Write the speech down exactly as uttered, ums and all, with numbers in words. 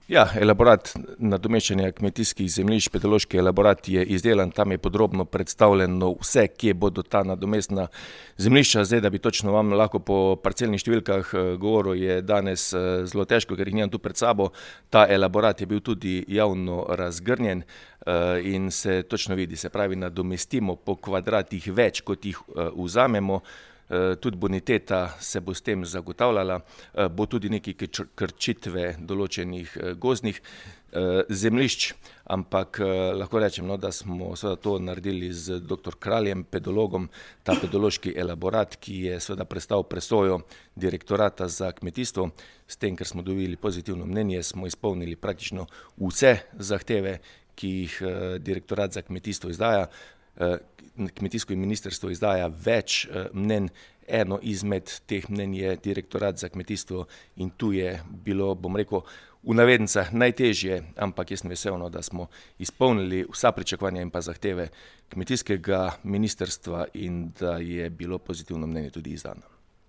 Ja, elaborat nadomeščanja kmetijskih zemljišč, pedološki elaborat je izdelan, tam je podrobno predstavljeno vse, kje bodo ta nadomestna zemljišča. Zdaj, da bi točno vam lahko po parcelnih številkah govoril, je danes zelo težko, ker jih nimam tu pred sabo. Ta elaborat je bil tudi javno razgrnjen in se točno vidi, se pravi, nadomestimo po kvadratih več, kot jih vzamemo. Tudi boniteta se bo s tem zagotavljala, bo tudi nekaj krčitve določenih gozdnih zemljišč, ampak lahko rečem, no, da smo seveda to naredili z doktor Kraljem, pedologom, ta pedološki elaborat, ki je seveda prestal presojo Direktorata za kmetijstvo. S tem, ker smo dobili pozitivno mnenje, smo izpolnili praktično vse zahteve, ki jih Direktorat za kmetijstvo izdaja. Kmetijsko ministrstvo izdaja več mnenj, eno izmed teh mnenj je Direktorat za kmetijstvo in tu je bilo, bom rekel, v navednicah najtežje, ampak jaz sem vesel, da smo izpolnili vsa pričakovanja in pa zahteve kmetijskega ministrstva in da je bilo pozitivno mnenje tudi izdano.